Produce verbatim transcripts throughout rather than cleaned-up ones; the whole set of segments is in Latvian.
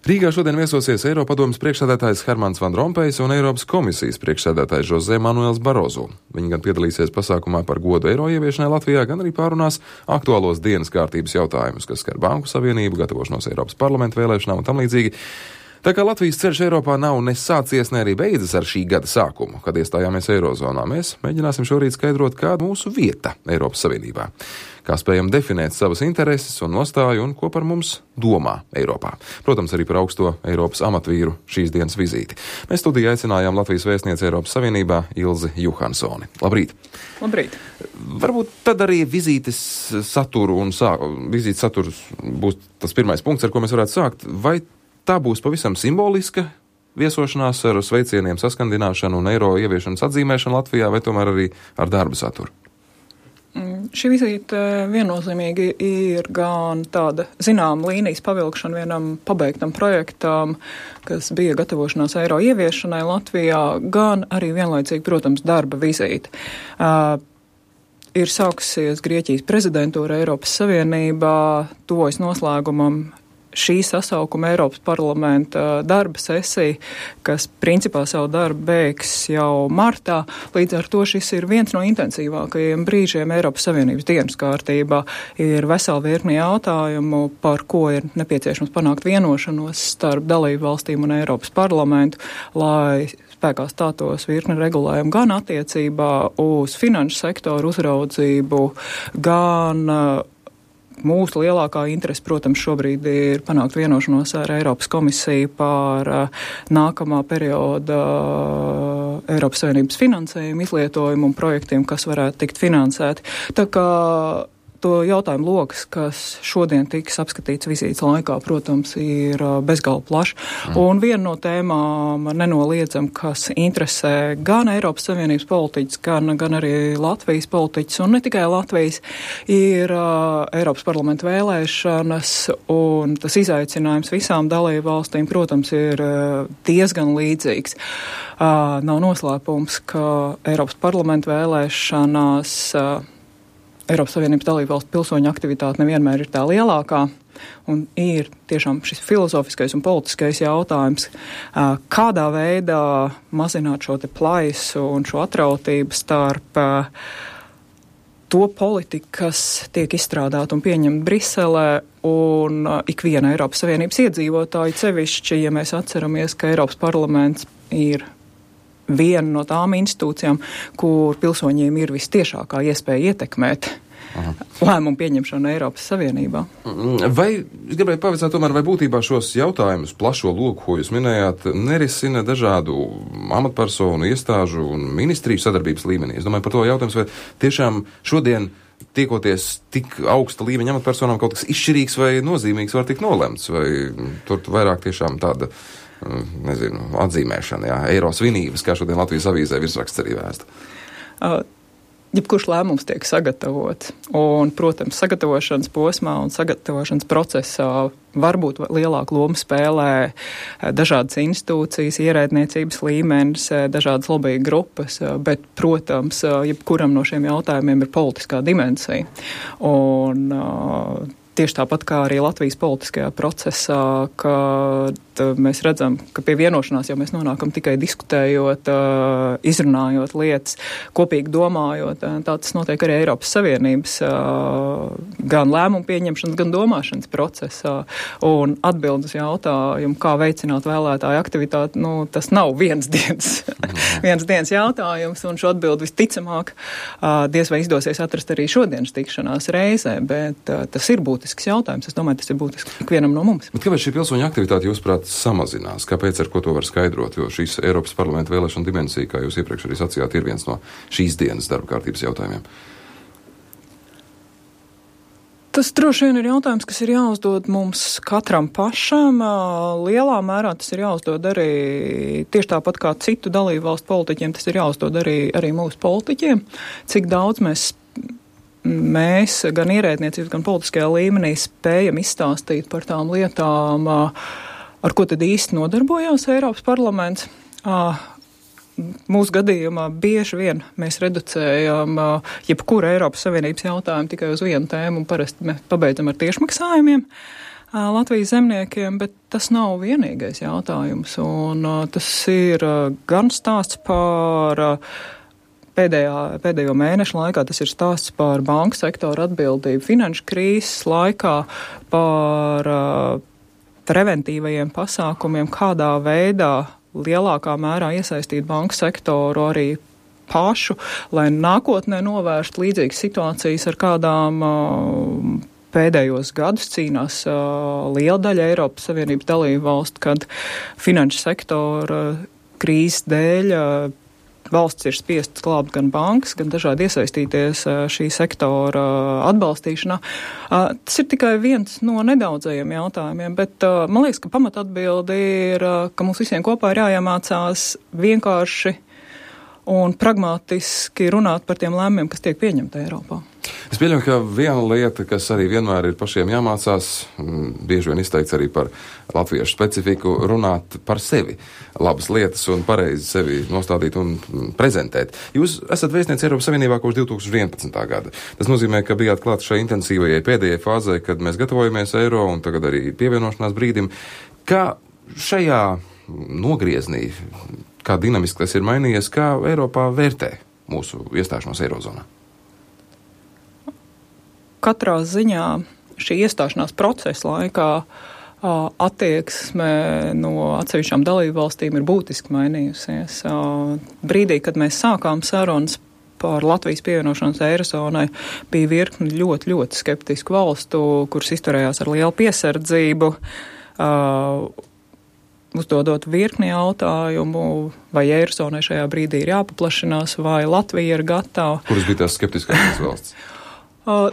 Rīgā šodien viesosies Eiropadomes priekšsēdētājs Hermans Van Rompējs un Eiropas komisijas priekšsēdētājs José Manuels Barozo. Viņi gan piedalīsies pasākumā par godu eiro ieviešanai Latvijā, gan arī pārunās aktuālos dienas kārtības jautājumus, kas skar Banku Savienību, gatavošanos Eiropas parlamenta vēlēšanām un tam līdzīgi. Tā kā Latvijas ceļš Eiropā nav ne sācies, ne arī beidzas ar šī gada sākumu, kad iestājāmies Eirozonā, mēs mēģināsim šorīt skaidrot, kāda mūsu vieta Eiropas Savienībā, kā spējam definēt savas intereses un nostāju un ko par mums domā Eiropā. Protams, arī par augsto Eiropas amatvīru šīs dienas vizīti. Mēs studijā aicinājām Latvijas vēstnieci Eiropas Savienībā Ilzi Juhansoni. Labrīt! Labrīt! Varbūt tad arī vizītes saturu un sā, vizītes saturs būs tas pirmais punkts, ar ko mēs varētu sākt. Vai tā būs pavisam simboliska viesošanās ar sveicieniem saskandināšanu un eiro ieviešanas atzīmēšanu Latvijā, vai tomēr arī ar darba saturu? Šī vizīte viennozīmīgi ir gan tāda zināma līnijas pavilkšana vienam pabeigtam projektam, kas bija gatavošanās eiro ieviešanai Latvijā, gan arī vienlaicīgi, protams, darba vizīte. Uh, ir sākusies Grieķijas prezidentūra Eiropas Savienībā, tuvojas noslēgumam šī sasaukuma Eiropas parlamenta darba sesija, kas principā savu darbu beigs jau martā. Līdz ar to šis ir viens no intensīvākajiem brīžiem Eiropas Savienības dienas kārtībā. Ir vesela virkni jautājumu, par ko ir nepieciešams panākt vienošanos starp dalību valstīm un Eiropas parlamentu, lai spēkā stātos virkni regulējumu gan attiecībā uz finanšu sektoru uzraudzību, gan mūsu lielākā interese, protams, šobrīd ir panākt vienošanos ar Eiropas komisiju par uh, nākamā perioda uh, Eiropas Savienības finansējumu izlietojumu un projektiem, kas varētu tikt finansēti. Tā kā to jautājumu lokas, kas šodien tiks apskatīts vizītes laikā, protams, ir bezgalīgi plašs. Mm. Un viena no tēmām nenoliedzam, kas interesē gan Eiropas Savienības politiķus, gan, gan arī Latvijas politiķus, un ne tikai Latvijas, ir uh, Eiropas parlamenta vēlēšanas, un tas izaicinājums visām dalību valstīm, protams, ir uh, diezgan līdzīgs. Uh, nav noslēpums, ka Eiropas parlamenta vēlēšanās uh, Eiropas Savienības dalībvalstu pilsoņu aktivitāte nevienmēr ir tā lielākā, un ir tiešām šis filozofiskais un politiskais jautājums, kādā veidā mazināt šo te plaisu un šo atrautību starp to politiku, kas tiek izstrādāta un pieņemta Briselē, un ikviena Eiropas Savienības iedzīvotāja, sevišķi, ja mēs atceramies, ka Eiropas parlaments ir viena no tām institūcijām, kur pilsoņiem ir vistiešākā iespēja ietekmēt Aha. lēmumu pieņemšanu Eiropas Savienībā. Vai, es gribēju pavaicāt tomēr, vai būtībā šos jautājumus, plašo loku, ko jūs minējāt, nerisina dažādu amatpersonu, iestāžu un ministriju sadarbības līmenī? Es domāju par to jautājums, vai tiešām šodien tiekoties tik augsta līmeņa amatpersonām kaut kas izšķirīgs vai nozīmīgs var tikt nolemts, vai tur vairāk tiešām tāda nezinu, atzīmēšana, jā, eiro svinības, kā šodien Latvijas avīzē virsraksts arī vēsta. Uh, jebkurš lēmums tiek sagatavots, un, protams, sagatavošanas posmā un sagatavošanas procesā varbūt lielāku lomu spēlē dažādas institūcijas, ierēdniecības līmenis, dažādas lobby grupas, bet, protams, jebkuram no šiem jautājumiem ir politiskā dimensija. Un uh, tieši tāpat kā arī Latvijas politiskajā procesā, kad mēs redzam, ka pie vienošanās jau mēs nonākam tikai diskutējot, izrunājot lietas, kopīgi domājot. Tā tas notiek arī Eiropas Savienības gan lēmumu pieņemšanas, gan domāšanas procesā. Un atbild uz jautājumu, kā veicināt vēlētāju aktivitāti, nu, tas nav viens dienas, viens dienas jautājums, un šo atbildi visticamāk diez vai izdosies atrast arī šodienas tikšanās reizē, bet tas ir būtisks jautājums. Es domāju, tas ir būtisks ikvienam no mums. Bet kāpēc šī pilsoņa aktivitāte, jūsuprāt, samazinās? Kāpēc, ar ko to var skaidrot? Jo šīs Eiropas parlamenta vēlēšana dimensija, kā jūs iepriekš arī sacījāt, ir viens no šīs dienas darba kārtības jautājumiem. Tas droši vien ir jautājums, kas ir jāuzdod mums katram pašam. Lielā mērā tas ir jāuzdod arī tieši tāpat kā citu dalību valstu politiķiem, tas ir jāuzdod arī, arī mūsu politiķiem. Cik daudz mēs Mēs gan ierēdniecības, gan politiskajā līmenī spējam izstāstīt par tām lietām, ar ko tad īsti nodarbojās Eiropas parlaments. Mūsu gadījumā bieži vien mēs reducējam jebkuru Eiropas Savienības jautājumu tikai uz vienu tēmu un parasti mēs pabeidzam ar tiešmaksājumiem. Latvijas zemniekiem, bet tas nav vienīgais jautājums. Un tas ir gan stāsts par pēdējā, pēdējo mēnešu laikā, tas ir stāsts par banku sektoru atbildību finanšu krīzes laikā, par preventīvajiem pasākumiem, kādā veidā lielākā mērā iesaistīt banku sektoru arī pašu, lai nākotnē novērst līdzīgas situācijas, ar kādām uh, pēdējos gadus cīnās uh, liela daļa Eiropas Savienības dalību valstu, kad finanšu sektora krīzes dēļ uh, valsts ir spiestas glābt gan bankas, gan dažādi iesaistīties uh, šī sektora uh, atbalstīšanā. Uh, tas ir tikai viens no nedaudzajiem jautājumiem, bet uh, man liekas, ka pamatatbildi ir, uh, ka mums visiem kopā ir jāiemācās vienkārši un pragmatiski runāt par tiem lēmumiem, kas tiek pieņemti Eiropā. Es pieļauju, ka viena lieta, kas arī vienmēr ir pašiem jāmācās, bieži vien izteikts arī par latviešu specifiku, runāt par sevi. Labas lietas un pareizi sevi nostādīt un prezentēt. Jūs esat vēstniece Eiropas Savienībā kopš divi tūkstoši vienpadsmitā gada. Tas nozīmē, ka bijāt klāt šai intensīvajai pēdējai fāzē, kad mēs gatavojamies eiro un tagad arī pievienošanās brīdim. Kā šajā nogrieznī, kā dinamiski tas ir mainījies, kā Eiropā vērtē mūsu iestāšanos Eirozonā? Katrā ziņā šī iestāšanās procesa laikā attieksme no atsevišķām dalību valstīm ir būtiski mainījusies. Brīdī, kad mēs sākām sarunas par Latvijas pievienošanos Eirozonai, bija virkni ļoti, ļoti skeptisku valstu, kuras izturējās ar lielu piesardzību, uzdodot virkni jautājumu, vai Eirozonai šajā brīdī ir jāpaplašinās, vai Latvija ir gatava. Kuras bija tās skeptiskākās valsts? Uh,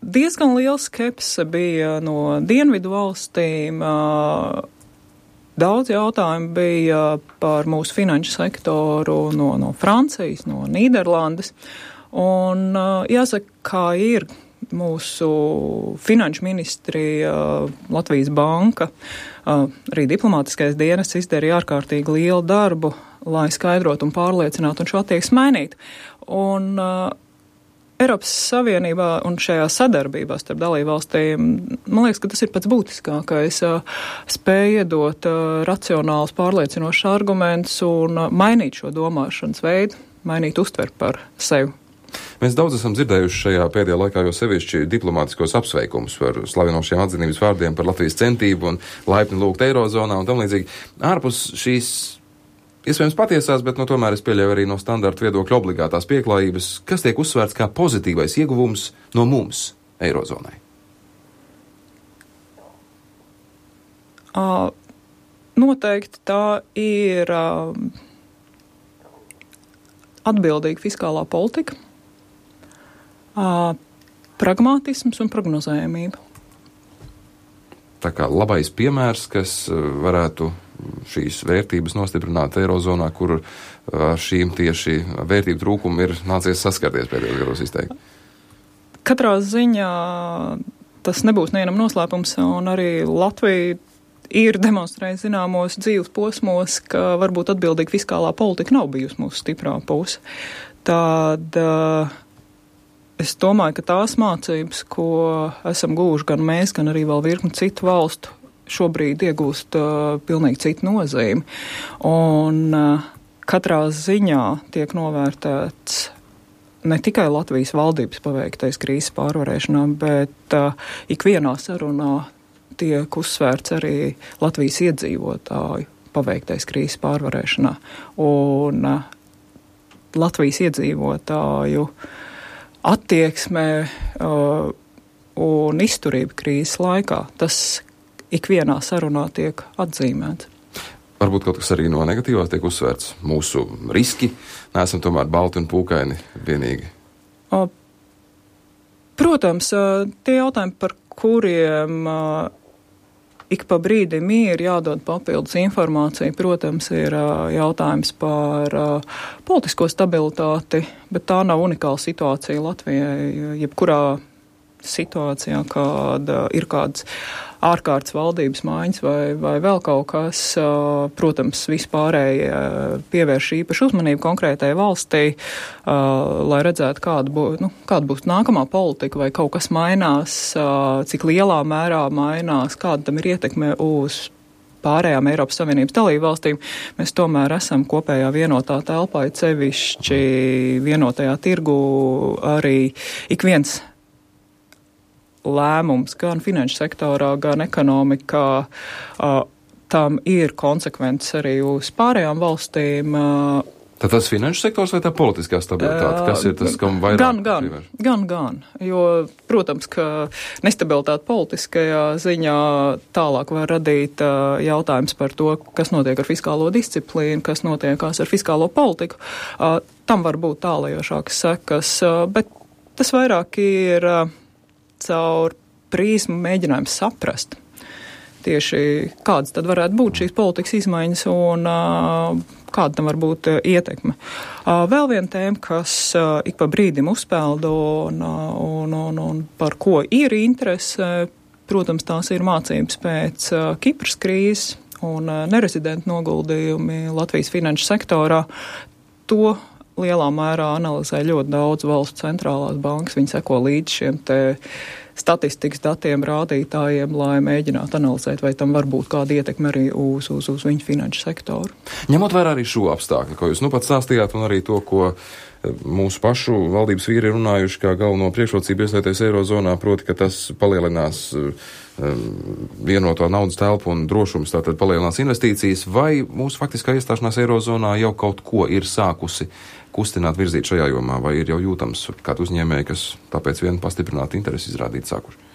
diezgan liela skepse bija no dienvidu valstīm. Uh, daudz jautājumu bija par mūsu finanšu sektoru no, no Francijas, no Nīderlandes. Un uh, jāsaka, kā ir mūsu finanšu ministrija, Latvijas banka, arī diplomātiskais dienests izdarīja ārkārtīgi lielu darbu, lai skaidrotu un pārliecinātu un šo attieksmi mainītu. Un uh, Eiropas Savienībā un šajā sadarbībā starp dalībvalstīm, man liekas, ka tas ir pats būtiskākais, uh, spēj iedot uh, racionālus, pārliecinošus argumentus un uh, mainīt šo domāšanas veidu, mainīt uztvert par sevi. Mēs daudz esam dzirdējuši šajā pēdējā laikā jau sevišķi diplomātiskos apsveikumus par slavinošiem atzinības vārdiem par Latvijas centību un laipni lūgt Eirozonā un tam līdzīgi. Ārpus šīs, iespējams patiesās, bet no tomēr es pieļauju arī no standarta viedokļa obligātās pieklājības, kas tiek uzsvērts kā pozitīvais ieguvums no mums Eirozonai. Uh, noteikti tā ir uh, atbildīga fiskālā politika, Uh, pragmatisms un prognozējamība. Tā kā labais piemērs, kas varētu šīs vērtības nostiprināt Eirozonā, kur ar šīm tieši vērtību trūkumu ir nācies saskarties pēdējos gados izteikti. Katrā ziņā tas nebūs nevienam noslēpums, un arī Latvija ir demonstrējusi zināmos dzīves posmos, ka varbūt atbildīga fiskālā politika nav bijusi mūsu stiprā puse. Tad uh, es domāju, ka tās mācības, ko esam guvuši gan mēs, gan arī vēl virkni citu valstu, šobrīd iegūst uh, pilnīgi citu nozīmi. Un uh, katrā ziņā tiek novērtēts ne tikai Latvijas valdības paveiktais krīzes pārvarēšanā, bet uh, ikvienā sarunā tiek uzsvērts arī Latvijas iedzīvotāju paveiktais krīzes pārvarēšanā. Un uh, Latvijas iedzīvotāju attieksmē uh, un izturība krīzes laikā, tas ikvienā sarunā tiek atzīmēts. Varbūt kaut kas arī no negatīvās tiek uzsvērts. Mūsu riski, neesam tomēr balti un pūkaini vienīgi. Uh, protams, uh, tie jautājumi, par kuriem uh, ik pa brīdim ir jādod papildus informācija, protams, ir uh, jautājums par uh, politisko stabilitāti, bet tā nav unikāla situācija Latvijai. Jebkurā situācijā, kad uh, ir kāds ārkārtas valdības maiņas vai, vai vēl kaut kas, uh, protams, vispārēji uh, pievērš īpašu uzmanību konkrētajai valstī, uh, lai redzētu, kāda, bū, nu, kāda būs nākamā politika, vai kaut kas mainās, uh, cik lielā mērā mainās, kāda tam ir ietekme uz pārējām Eiropas Savienības dalību valstīm. Mēs tomēr esam kopējā vienotā telpā, cevišķi vienotajā tirgu arī ik viens lēmums gan finanšu sektorā, gan ekonomikā, uh, tam ir konsekvences arī uz pārējām valstīm. Uh, Tad tas finanšu sektors vai tā politiskā stabilitāte? Kas ir tas, kam vairāk? Gan, gan, gan, gan. Jo, protams, ka nestabilitāte politiskajā ziņā tālāk var radīt uh, jautājums par to, kas notiek ar fiskālo disciplīnu, kas notiekās ar fiskālo politiku. Uh, tam var būt tālajošākas sekas, uh, bet tas vairāk ir uh, caur prizmu mēģinājums saprast tieši kādas tad varētu būt šīs politikas izmaiņas un uh, kāda tam var būt uh, ietekme. Uh, vēl viena tēma, kas uh, ik pa brīdim uzpeld un, uh, un, un, un par ko ir interese, protams, tās ir mācības pēc uh, Kipras krīzes un uh, nerezidentu noguldījumi Latvijas finanšu sektorā. To lielā mērā analizē ļoti daudz valsts centrālās bankas. Viņi seko līdz šiem te statistikas datiem, rādītājiem, lai mēģinātu analizēt, vai tam var būt kāda ietekme arī uz, uz, uz viņu finanšu sektoru. Ņemot vērā arī šo apstākļu, ko jūs nu pat stāstījāt, un arī to, ko mūsu pašu valdības vīri ir runājuši kā galveno priekšrocību iestāties Eirozonā, proti, ka tas palielinās vienoto naudas telpu un drošums, tātad palielinās investīcijas, vai mūsu faktiskā iestāšanās Eirozonā jau kaut ko ir sākusi kustināt, virzīt šajā jomā, vai ir jau jūtams kādu uzņēmēju, kas tāpēc vien pastiprināt interesi izrādīt sākuši?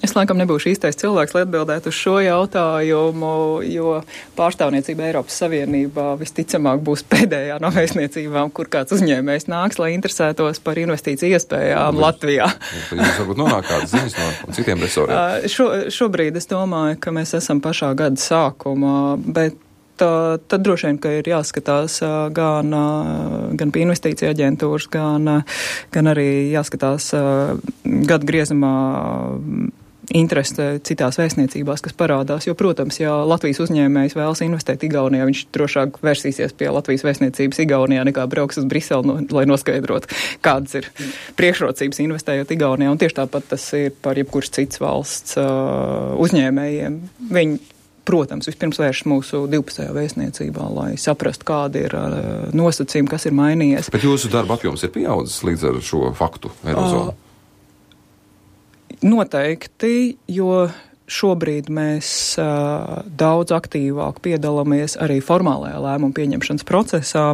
Es laikam nebūšu īstais cilvēks, lai atbildētu uz šo jautājumu, jo pārstāvniecība Eiropas Savienībā visticamāk būs pēdējā no vēstniecībām, kur kāds uzņēmējs nāks, lai interesētos par investīciju iespējām Jūs, Latvijā. Jūs varbūt nonāk kādas ziņas no citiem resoriem? Šo, šobrīd es domāju, ka mēs esam pašā gada sākumā, bet Tad, tad droši vien, ka ir jāskatās gan, gan pie investīcija aģentūras, gan, gan arī jāskatās gadu griezumā interese citās vēstniecībās, kas parādās. Jo, protams, ja Latvijas uzņēmējs vēlas investēt Igaunijā, viņš drošāk versīsies pie Latvijas vēstniecības Igaunijā, nekā brauks uz Briseli, no, lai noskaidrotu, kādas ir priekšrocības investējot Igaunijā. Un tieši tāpat tas ir par jebkuras cits valsts uh, uzņēmējiem. Viņi protams, vispirms vērš mūsu divpusējā vēstniecībā, lai saprastu, kādi ir uh, nosacījumi, kas ir mainījies. Bet jūsu darba apjoms ir pieaudzis līdz ar šo faktu Eirozonu? Uh, noteikti, jo šobrīd mēs uh, daudz aktīvāk piedalāmies arī formālajā lēmumu pieņemšanas procesā,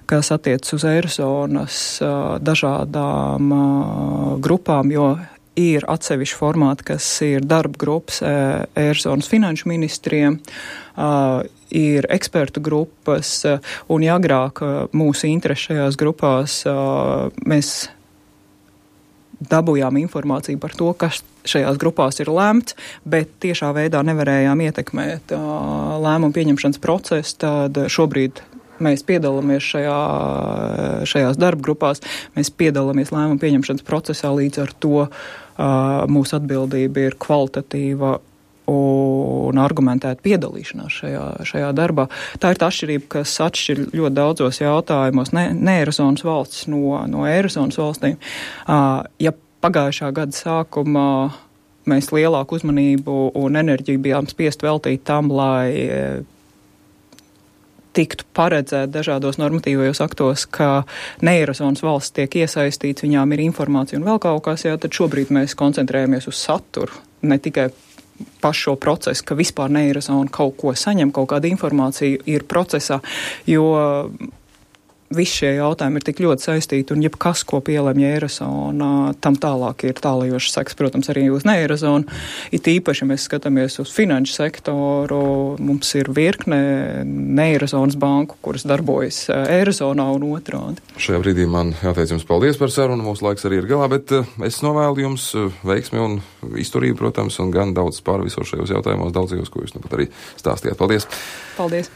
kas attiecas uz Eirozonas uh, dažādām uh, grupām, jo ir atsevišķi formāti, kas ir darba grupas Eirozonas finanšu ministriem, uh, ir ekspertu grupas, uh, un ja agrāk uh, mūsu interesi šajās grupās uh, mēs dabūjām informāciju par to, kas šajās grupās ir lemts, bet tiešā veidā nevarējām ietekmēt uh, lēmumu pieņemšanas procesu, tad šobrīd mēs piedalāmies šajā, šajās darba grupās, mēs piedalāmies lēmumu pieņemšanas procesā, līdz ar to uh, mūsu atbildība ir kvalitatīva un argumentēta piedalīšanās šajā, šajā darbā. Tā ir tā atšķirība, kas atšķir ļoti daudzos jautājumos ne, ne Eirozonas valsts no, no Eirozonas valstīm. Uh, ja pagājušā gada sākumā mēs lielāku uzmanību un enerģiju bijām spiest veltīt tam, lai tiktu paredzēt dažādos normatīvajos aktos, ka ne Eirozonas valsts tiek iesaistīts, viņām ir informācija un vēl kaut kas, jā, tad šobrīd mēs koncentrējamies uz saturu, ne tikai pašu šo procesu, ka vispār ne Eirozona kaut ko saņem, kaut kāda informācija ir procesā, jo visi šie jautājumi ir tik ļoti saistīti, un jebkas, ko pielemj Eirozona, tam tālāk ir tālajošas sekas, protams, arī uz ne Eirozonu. It īpaši, ja mēs skatāmies uz finanšu sektoru, mums ir virkne ne Eirozonas banku, kuras darbojas Eirozonā un otrādi. Šajā brīdī man jāteic jums paldies par sarunu, mūsu laiks arī ir galā, bet es novēlu jums veiksmi un izturību, protams, un gan daudz pāri visos šajos jautājumos, daudzajos, ko jūs nu pat arī stāstījāt. Paldies! Paldies!